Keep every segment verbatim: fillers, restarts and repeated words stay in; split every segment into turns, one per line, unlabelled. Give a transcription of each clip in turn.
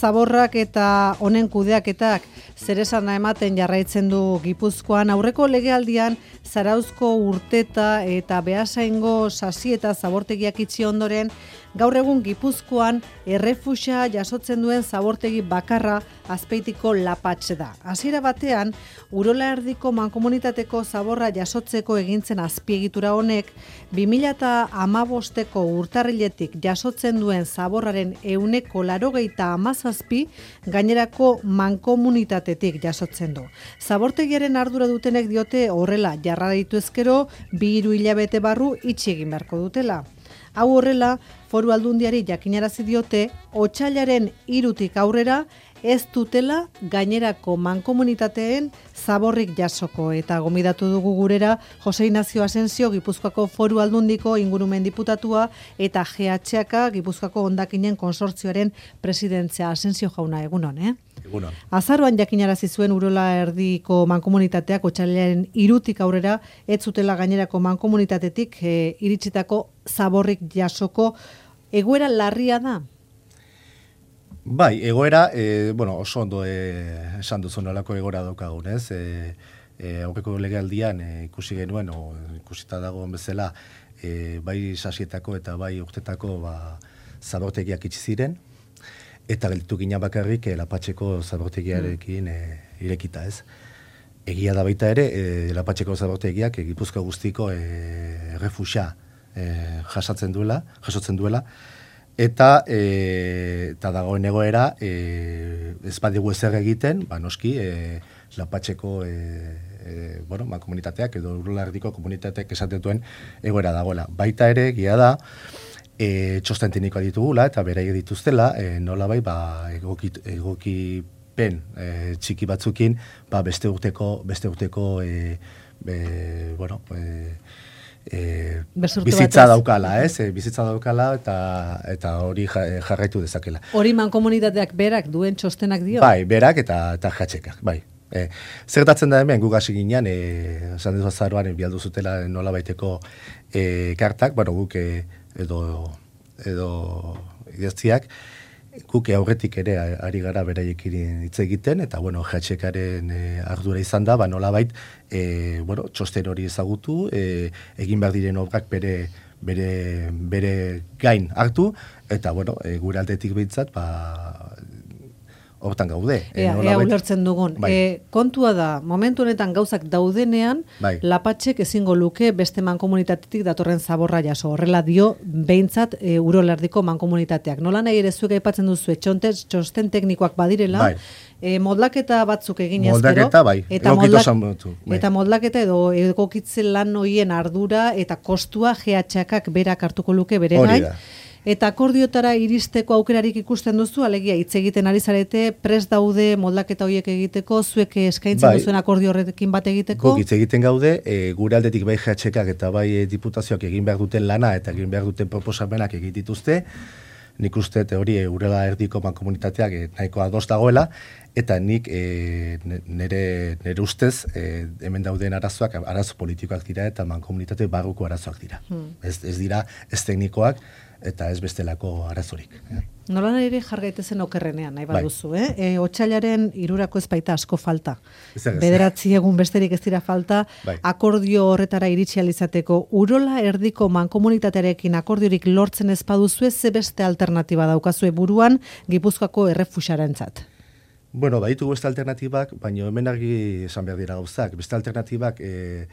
zaborrak eta honen kudeaketak zeresana ematen jarraitzen du Gipuzkoan. Aurreko legealdian Zarauzko Urteta eta Beasaingo Sasi eta zabortegiak itxi ondoren, gaur egun Gipuzkoan errefuxa jasotzen duen zabortegi bakarra Azpeitiko Lapatxe da. Hasiera batean, Urola Erdiko mankomunitateko zaborra jasotzeko egintzen azpiegitura honek, bi mila hamabosteko urtarriletik jasotzen duen zaborraren ehuneko laurogeita hamazazpi gainerako mankomunitatetik jasotzen du. Zabortegiaren ardura dutenek diote horrela jarra ditu ezkero, bi hiru hilabete barru itxi egin beharko dutela. Hau horrela, Foru Aldundiari jakinarazi diote, otsailaren hirutik aurrera ez dutela gainerako mankomunitateen zaborrik jasoko, eta gomidatu dugu gurera Jose Ignacio Asensio, Gipuzkoako Foru Aldundiko ingurumen diputatua, eta G H K, Gipuzkoako hondakinen konsortzioaren presidentzia. Asensio jauna, egunon, eh?
Egunon.
Azaroan jakinarazi zuen Urola Erdiko mankomunitateak otsailaren hirutik aurrera ez zutela gainerako mankomunitatetik e, iritsitako zaborrik jasoko. Egoera larria da?
Bai, egoera, e, bueno, oso ondo e, esan duzun nolako egoera daukagun, ez? E, e, aurreko legealdian e, ikusi genuen, o ikusita dagoen bezala, e, bai Sasietako eta bai Urtetako ba, zabortegiak itxi ziren, eta gelditu gina bakarrik e, Lapatxeko zabortegiarekin e, irekita, ez? Egia da baita ere, e, Lapatxeko zabortegiak e, Gipuzkoa guztiko e, refuxa e, jasatzen duela, jasotzen duela, eta e, eta dagoen egoera e, ez badigu ezer egiten, ba noski e, Lapatxeko e, e, bueno, ma komunitateak edo Urola Erdiko komunitateak esaten duen egoera dagoela. Baita ere, egia da, e, txosten teknikoa ditugula eta beraiek dituztela, e, nolabai ba egokit, egokipen e, txiki batzukin, ba beste urteko beste urteko e, e, bueno, e, E, bizitza daukala, ez? E, bizitza daukala eta eta hori jarraitu dezakela.
Hori mankomunitateak berak duen txostenak dio?
Bai, berak eta eta jatxekak, bai. E, zertatzen da hemen, guk hasi ginean, e, esan dezu azaroan bialdu zutela nola baiteko e, kartak, bueno, guk e, edo edo idaztiak, guk aurretik ere ari gara beraiekin hitz egiten, eta bueno, jatxekaren e, ardura izan da, ba nolabait e, bueno, txosten hori ezagutu, e, egin behar diren obrak bere, bere, bere gain hartu, eta bueno, e, gure aldetik behintzat, ba, hortan gaude.
Ea, ea ulertzen dugun.
Bai.
E, kontua da, momentu honetan gauzak daudenean,
bai.
Lapatxek ezingo luke beste mankomunitatetik datorren zaborra jaso. Horrela dio behintzat e, Urola Erdiko mankomunitateak. Nola nahi ere zuek aipatzen duzu, txontez, txosten teknikoak badirela,
bai.
e, modlaketa batzuk egin ezkero.
Moldaketa, bai.
Eta, modlak, bai. eta modlaketa edo egokitzen lan hoien ardura eta kostua G H K berak hartuko luke bere gain. Eta akordiotara iristeko aukerarik ikusten duzu, alegia hitz egiten ari zarete, prest daude moldaketa horiek egiteko, zuek eskaintzen bai. Duzuen akordio horrekin bat egiteko?
Guk hitz egiten gaude, e, gure aldetik bai G H Kak eta bai e, diputazioak egin behar duten lana eta egin behar duten proposamenak egin dituzte. Nik uste hori e, Urola Erdiko mankomunitateak e, nahiko ados dagoela, eta nik e, nire, nire ustez e, hemen dauden arazoak, arazo politikoak dira eta mankomunitate barruko arazoak dira. Hmm. Ez, ez dira, ez teknikoak, eta ez bestelako arazorik.
Nola ere jargaitezen okerrenean, nahi baduzu, bai. eh? E, otsailaren hirurako ez baita asko falta. Bederatzi egun besterik ez dira falta, bai. Akordio horretara iritsi alizateko. Urola Erdiko mankomunitatearekin akordiorik lortzen ez baduzue, ze beste alternatiba daukazue buruan Gipuzkoako errefuxarentzat?
Bueno, baditugu beste alternatibak, baina hemen argi esan behar dira gauzak. Beste alternatibak, e,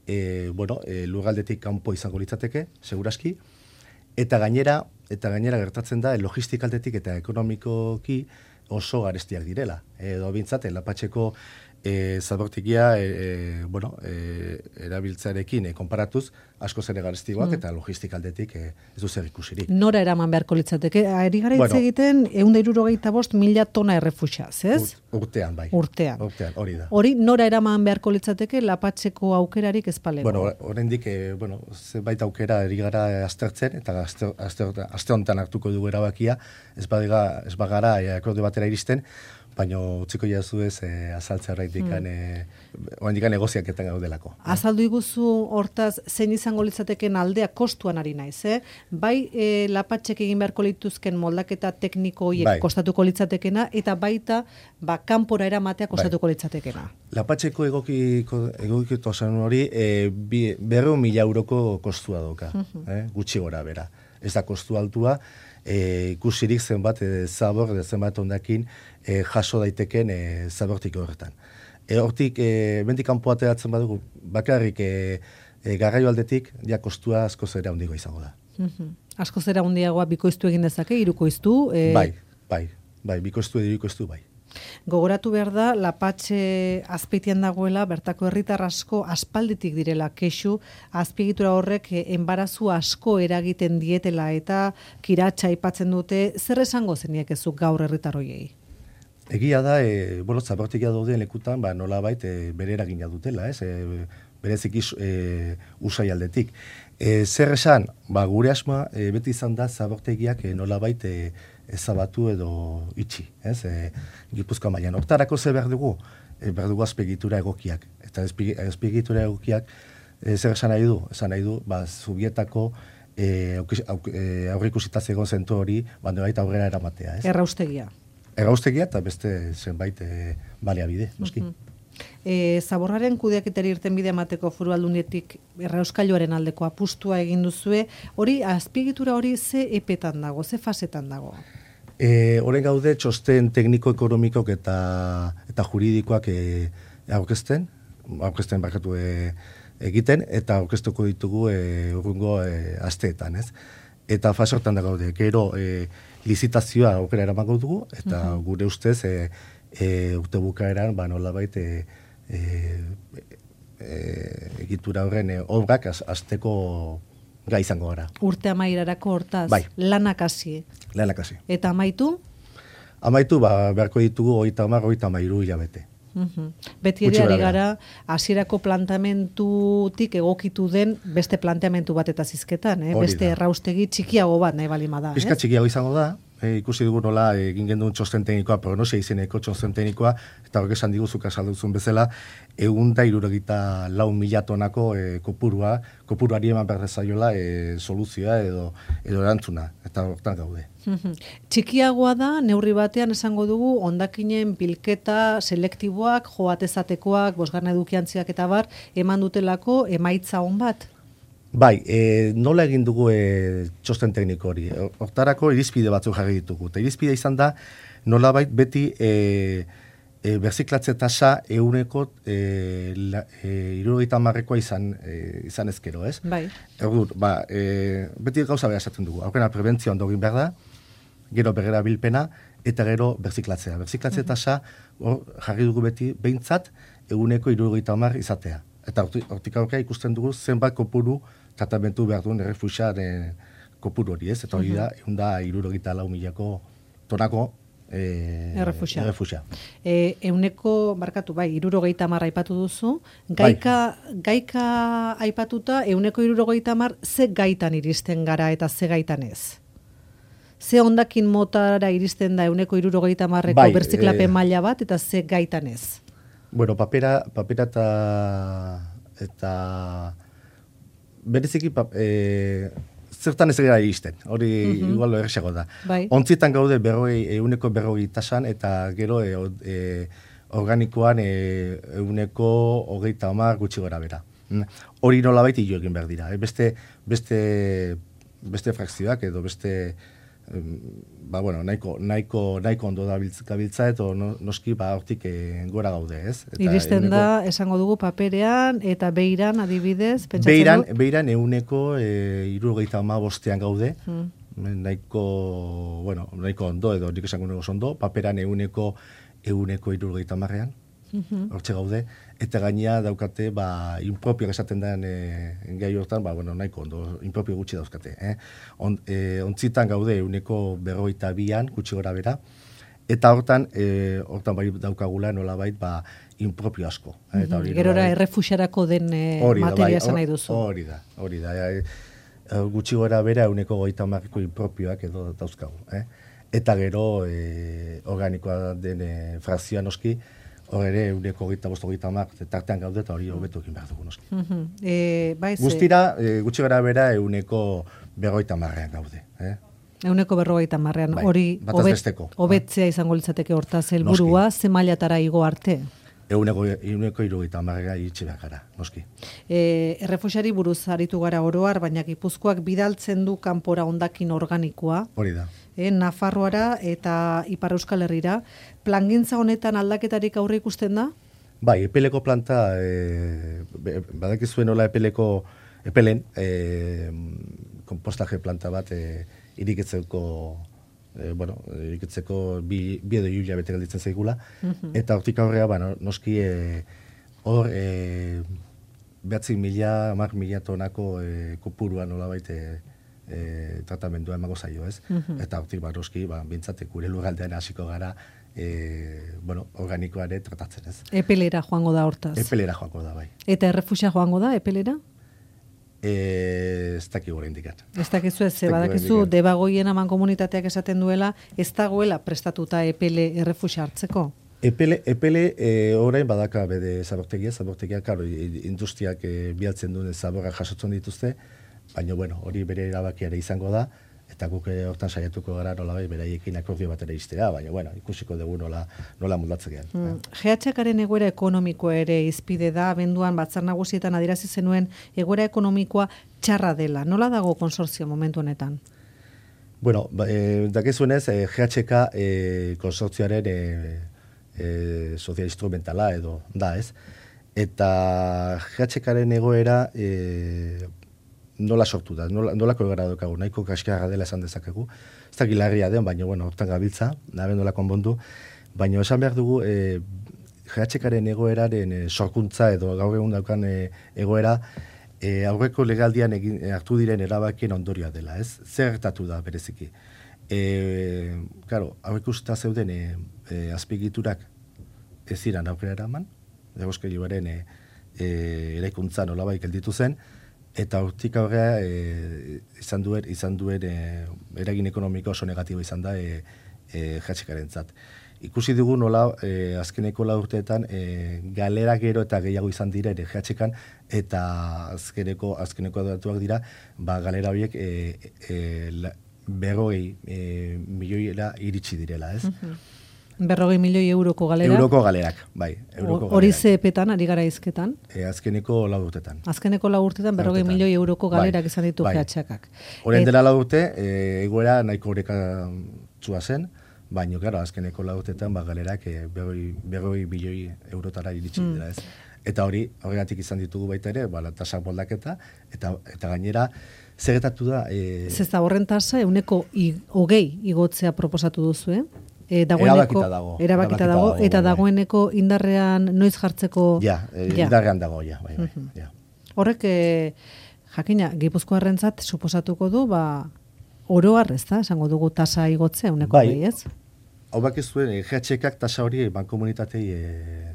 e, bueno, e, lurraldetik kanpo izango litzateke, seguraski, Eta gainera, eta gainera gertatzen da logistikaldetik eta ekonomikoki oso garestiak direla. Edo bintzat, Lapatxeko e, zabortegia e, e, bueno, e, erabiltzarekin e, konparatuz asko zere garestikoak mm. eta logistikaldetik e, ez du zer ikusirik.
Nora eraman beharko litzateke? Ari gara hitz bueno, egiten ehun eta hirurogeita bost mila tona errefuxaz, ez?
Urtean, bai.
Urtean.
Urtean, hori da.
Hori nora eraman beharko litzateke Lapatxeko aukerarik ez palego?
Bueno, oraindik e, bueno, zenbait aukera ari gara aztertzen, eta azte, azte, azte honetan hartuko dugu erabakia, ez bagara, ez bagara e, akordio batera iristen, baina utziko jazu ez e, azaltzea horreitik mm. e, oandik negoziaketan gaudelako.
Azaldu iguzu hortaz, zein izango litzateken aldea kostuan ari naiz, eh? Bai e, lapatxek egin beharko lituzken moldaketa tekniko horiek bai. Kostatuko litzatekena, eta baita ba, kanpora eramatea kostatuko bai. Litzatekena.
Lapatxeko egokiko, egokiko hori e, berreun mila euroko kostua doka, uh-huh. eh? Gutxi gora bera. Ez da kostu altua, e, ikusirik zenbat e, zabor, zenbat ondakin e, jaso daiteken e, zabortik horretan. E, hortik, e, bentik kanpo ateratzen badugu, bakarrik e, e, garraio aldetik, ja kostua asko zera hundigo izango da.
Uh-huh. Asko zera hundiagoa bikoiztu egin dezake, hirukoiztu? E...
Bai, bai, bai, bikoiztu edo hirukoiztu bai.
Gogoratu behar da, Lapatxe azpeitian dagoela, bertako herritar asko aspalditik direla kexu, azpiegitura horrek enbarazu asko eragiten dietela eta kiratsa aipatzen dute, zer esango zeniek ezuk gaur herritar hoiei?
Egia da, e, bueno, zabortegia dauden lekutan, ba, nola bait, e, bere eragina dutela, ez? E, berezik e, usai aldetik. E, zer esan, ba, gure asmoa e, beti izan da zabortegiak e, nola bait, e, ezabatu edo itxi, ez? E, Gipuzkoa mailan. Hortarako ze behar dugu? E, behar dugu azpiegitura egokiak. Eta azpiegitura egokiak e, zer esan nahi du? Esan nahi du, ba, Zubietako e, aurrikusita zegoen zentu hori, bando baita aurrera eramatea, ez?
Erraustegia.
Erraustegia eta beste zenbait e, baliabide, noski. Uh-huh.
E, zaborraren kudeaketari irten bide emateko Foru Aldundietik errauskailuaren aldeko apustua egin duzue, hori azpiegitura hori ze epetan dago, ze fasetan dago?
E, Horen gaude txosten tekniko-ekonomikok eta eta juridikoak e, aurkezten, aurkezten bakatu e, egiten, eta aurkeztuko ditugu e, urrungo e, asteetan, ez? Eta fase hortan da gaude, gero e, lizitazioa aukera eramango dugu, eta uh-huh. gure ustez e, e, urte bukaeran, ba nolabait e, e, e, egitura horren e, obrak azteko gai izango gara.
Urte amairarako hortaz,
bai.
Lanak hasi.
Lanak hasi.
Eta amaitu?
Amaitu, ba, beharko ditugu hogeita hamar, hogeita hamairu hilabete.
Uhum. Beti ere ari gara, hasierako planteamentutik egokitu den beste planteamentu bat eta zizketan, eh? Beste erraustegi txikiago bat nahi balima da.
Pizka txikiago izango da, e, ikusi dugu nola egin genuen txosten teknikoa, prognosia izeneko txosten teknikoa, eta horrek esan diguzuk azalduzun bezala, egun da irurogita lau mila tonako e, kopurua, kopuruari eman behar zaiola e, soluzioa edo, edo erantzuna, eta hortan gaude.
Txikiagoa da, neurri batean esango dugu, hondakinen bilketa selektiboak, joatezatekoak, bosgarna edukiantziak eta bar, eman dutelako emaitza on bat?
Bai, e, nola egin dugu e, txosten tekniko hori? Hortarako irizpide batzuk jarri ditugu. Eta irizpide izan da, nolabait beti e, e, berziklatze tasa euneko e, e, irurogeita hamarrekoa izan, e, izan ezkero, ez?
Bai.
Erdur, ba, e, beti gauza behar esaten dugu. Aukena prebentzioa ondo egin behar da, gero berrera bilpena, eta gero berziklatzea. Berziklatze tasa hor jarri dugu beti behintzat eguneko irurogeita hamar izatea. Eta hortik aurkea ikusten dugu zenbat kopuru tratamentu behar duen errefuxiaren kopuru hori, ez? Eta hori da, egun da irurogeita lau milako tonako e,
errefuxia.
errefuxia.
E, euneko, barkatu, bai, irurogeita hamar aipatu duzu, gaika, bai. gaika aipatuta, euneko irurogeita hamar ze gaitan iristen gara eta ze gaitan ez? Ze hondakin motara iristen da euneko irurogeita hamarreko bai, berziklapen e... maila bat eta ze gaitan ez?
Bueno, papera, papera eta, eta bereziki pap, e, zertan ez gara iristen, hori uh-huh. igual errexago da.
Bai.
Ontzietan gaude berroi, euneko berroi tasan eta gero e, e, organikoan e, euneko hogeita hamar gutxi gora bera. Hori nolabait hilo egin behar dira. E, beste, beste, beste frakzioak edo beste ba, bueno, nahiko, nahiko, nahiko ondo da gabiltza, eta no, noski ba, hortik e, gora gaude, ez? Eta
iristen euneko, da, esango dugu, paperean, eta beiran, adibidez, pentsatzen
beiran,
du?
Beiran euneko e, irurogeita ama bostean gaude, hmm. nahiko, bueno, nahiko ondo, edo nik esango nego ondo, paperan euneko, euneko irurogeita amarrean, Uhum. hortxe gaude, eta gainea daukate, ba, impropioak esaten den e, gai hortan, ba, bueno, nahiko ondo, impropio gutxi dauzkate. Eh? On, e, ontzitan gaude euneko berrogeita bian, gutxi gora bera, eta hortan, e, hortan bai daukagula nolabait, ba, impropio asko. Eh? Eta hori,
gerora errefuxarako den e, materia esan nahi duzu.
Hori da, hori da. E, gutxi gora bera euneko goita marriko impropioak edo dauzkagu. Eh? eta gero e, organikoa den e, frazioa noski, hor ere euneko hogeita bost hogeita hamar tartean gaude eta hori hobetu egin behar dugu noski.
Uh-huh. E, bai,
Guztira, e, gutxi gara bera euneko berrogeita hamarrean gaude. Eh?
Euneko berrogeita hamarrean,
Bai,
hori
obet,
hobetzea izango litzateke hortaz helburua, ze mailatara igo arte?
Euneko, euneko irugaita hamarrera iritsi behar gara, noski.
E, errefuxiari buruz aritu gara oroar, baina Gipuzkoak bidaltzen du kanpora hondakin organikoa.
Hori da.
E, Nafarroara eta Ipar Euskal Herrira. Plangintza honetan aldaketarik aurre ikusten da?
Bai, epeleko planta, e, badakizuen nola epeleko, epelen, e, kompostaje planta bat e, iriketzeko, e, bueno, iriketzeko bi, bi edo hiru hilabete gelditzen zaigula, uh-huh. Eta hortik aurrea, ba, noski e, hor e, behatzi mila, hamar mila tonako e, kopurua nola baite e, tratamendua emango zaio, ez? Uh-huh. Eta hortik, ba, noski, ba, bintzate gure lurraldean hasiko gara, E, bueno, organikoa ere tratatzen, ez.
Epelera joango da hortaz.
Epelera joango da, bai.
Eta errefusia joango da, epelera?
E, ez dakigu hori indikat.
Ez dakizu ez, badakizu, debagoien aman komunitateak esaten duela, ez dagoela prestatuta epele errefusia hartzeko?
Epele, epele e, orain badaka bede zabortegia, zabortegia, karo, industriak e, bialtzen duen zaborra jasotzen dituzte, baina, bueno, hori bere erabakiare izango da, eta guk hortan saiatuko gara nolabai beraiekin akordio batera iztea, baina bueno, ikusiko dugu nola, nola moldatzekean.
Mm. G H K-aren egoera ekonomikoa ere izpide da, abenduan batzar nagusietan adierazi zenuen egoera ekonomikoa txarra dela. Nola dago konsortzio momentu honetan?
Bueno, ba, e, dakizuenez, e, G H K e, konsortzioaren e, e, sozial instrumentala edo da, ez? Eta G H K-aren egoera e, nola sortu da, nola, nolako egara dokagu, nahiko kaskarra dela esan dezakegu. Ez da gilarria den, baina, bueno, hortan gabiltza, naben nola konbondu, baina esan behar dugu, e, G H K-aren egoeraren e, sorkuntza edo gaur egun daukan e, egoera, e, aurreko legaldian egin, hartu diren erabakien ondorioa dela, ez? Zer gertatu da bereziki. E, claro, aurreko usta zeuden e, e, azpigiturak ez ziren aurrera eraman, Egoskailuaren e, e, eraikuntza nolabai gelditu zen, eta hortik aurrea e, izan duen, izan duen e, eragin ekonomiko oso negatibo izan da e, e, G H K-rentzat. Ikusi dugu nola e, azkeneko lau urteetan e, galera gero eta gehiago izan dira ere G H K-an eta azkeneko, azkeneko datuak dira ba, galera horiek e, e, la, berrogei e, milioiera iritsi direla, ez? Uh-huh.
Berrogei milioi euroko galera?
Euroko galerak, bai.
Hori ze epetan, ari gara izketan?
E, azkeneko lau urtetan.
Azkeneko lau urtetan, berrogei milioi euroko galerak bai, izan ditu bai. G H K-ak.
Horren dela lau urte, e, egoera nahiko horrekatzua zen, baina, claro, azkeneko lau urtetan, ba, galerak e, berrogei milioi eurotara iritsi mm. dira, ez. Eta hori, horregatik izan ditugu baita ere, ba, tasak moldaketa, eta, eta gainera, zerretatu da... E,
Zesta horren tasa, euneko hogei igotzea proposatu duzu, eh? E,
erabakita dago.
Erabakita dago, eta bai. Dagoeneko indarrean noiz jartzeko...
Ja, e, ja. indarrean dago, ja. Bai, bai, uh-huh. ja.
Horrek, e, jakina, Gipuzkoarrentzat suposatuko du, ba, oroar ez da, esango dugu tasa igotzea, uneko
bai.
Behi, ez?
Hau bakizuen, G H K-ak tasa hori bankomunitatei, e,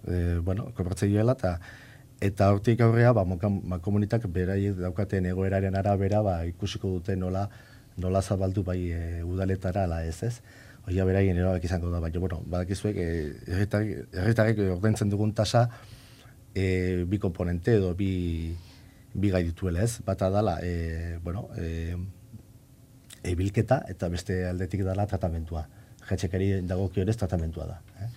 e, bueno, kobratzei joela, eta eta hortik aurrea, ba, bankomunitak beraiek daukaten egoeraren arabera, ba, ikusiko dute nola, nola zabaldu bai e, udaletara, ala ez ez. Oia beraien erabak izango da, baina, bueno, badakizuek, herritarrek ordaintzen dugun tasa e, bi komponente edo bi, bi gai dituela, ez? Bata dala, e, bueno, e, e, bilketa eta beste aldetik dala tratamentua. G H K-ari dagokionez tratamentua da. Eh?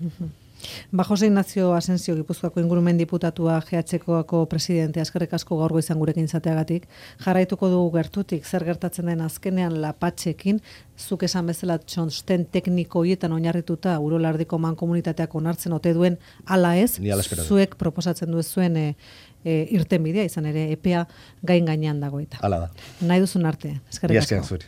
Ba, Jose Ignacio Asensio, Gipuzkoako ingurumen diputatua, G H K-ako presidente, eskerrik asko gaur goizan gurekin izateagatik. Jarraituko dugu gertutik, zer gertatzen den azkenean lapatxekin, zuk esan bezala txosten tekniko hietan oinarrituta Urolardiko mankomunitateak onartzen ote duen ala ez, zuek proposatzen duzuen e, e, irtenbidea izan ere epea gain gainean dago eta.
Hala da.
Nahi duzun arte, eskerrik asko.